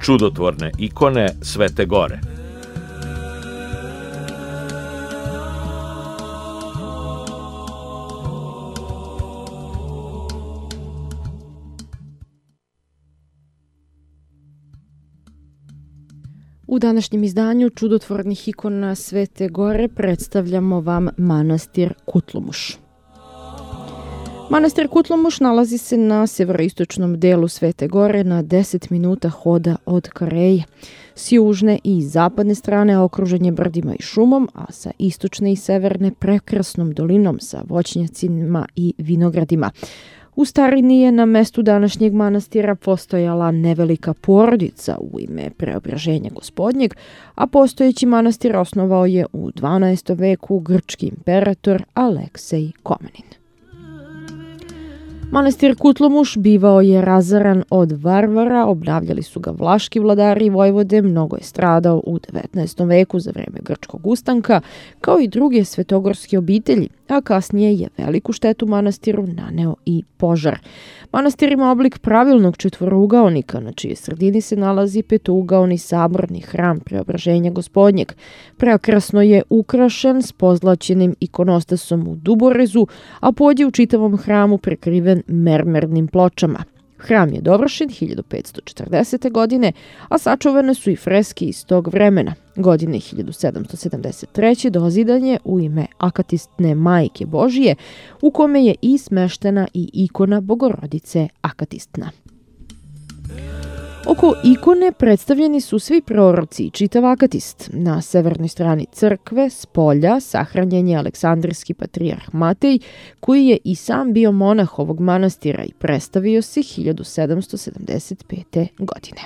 čudotvorne ikone Svete Gore. U današnjem izdanju čudotvornih ikona Svete Gore predstavljamo vam manastir Kutlumuš. Manastir Kutlumuš nalazi se na severoistočnom delu Svete Gore na 10 minuta hoda od Kareje. S južne i zapadne strane okružen je brdima i šumom, a sa istočne i severne prekrasnom dolinom sa voćnjacima i vinogradima. U starini je na mestu današnjeg manastira postojala nevelika porodica u ime Preobraženja Gospodnjeg, a postojeći manastir osnovao je u 12. veku grčki imperator Aleksej Komenin. Manastir Kutlumuš bivao je razaran od varvara, obnavljali su ga vlaški vladari i vojvode, mnogo je stradao u 19. veku za vreme grčkog ustanka, kao i druge svetogorske obitelji, a kasnije je veliku štetu manastiru naneo i požar. Manastir ima oblik pravilnog četvorougaonika, na čijoj sredini se nalazi petougaoni saborni hram Preobraženja Gospodnjeg. Prekrasno je ukrašen s pozlaćenim ikonostasom u duborezu, a pod je u čitavom hramu prekriven mermernim pločama. Hram je dovršen 1540. godine, a sačuvane su i freske iz tog vremena. Godine 1773. dozidan je u ime Akatistne Majke Božije, u kome je i smeštena i ikona Bogorodice Akatistna. Oko ikone predstavljeni su svi proroci i čitav akatist. Na severnoj strani crkve, s polja, sahranjen je aleksandrijski patrijarh Matej, koji je i sam bio monah ovog manastira i predstavio se 1775. godine.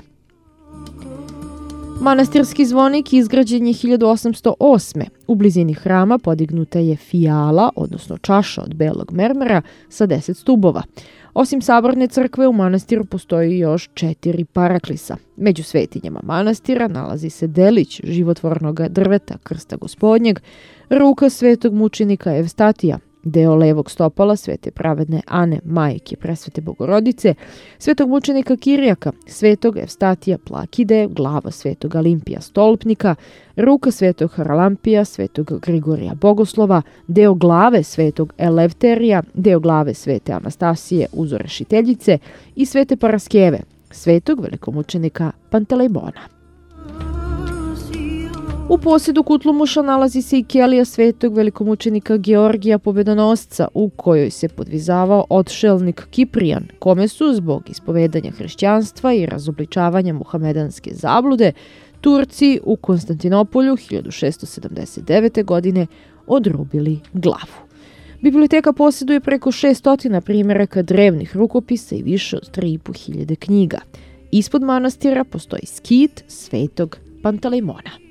Manastirski zvonik izgrađen je 1808. U blizini hrama podignuta je fijala, odnosno čaša od belog mermera sa 10 stubova. Osim saborne crkve, u manastiru postoji još 4 paraklisa. Među svetinjama manastira nalazi se delić životvornog drveta Krsta Gospodnjeg, ruka svetog mučenika Evstatija, deo levog stopala Svete pravedne Ane, majke Presvete Bogorodice, svetog mučenika Kirijaka, svetog Evstatija Plakide, glava svetog Alimpija Stolpnika, ruka svetog Haralampija, svetog Grigorija Bogoslova, deo glave svetog Elefterija, deo glave svete Anastasije Uzorešiteljice i svete Paraskeve, svetog velikomučenika Pantelejmona. U posjedu Kutlumuša nalazi se i kelija svetog velikomučenika Georgija Pobedonosca, u kojoj se podvizavao odšelnik Kiprijan, kome su zbog ispovedanja hrišćanstva i razobličavanja muhamedanske zablude Turci u Konstantinopolju 1679. godine odrubili glavu. Biblioteka posjeduje preko 600 primjeraka drevnih rukopisa i više od 3.500 knjiga. Ispod manastira postoji skit svetog Pantelejmona.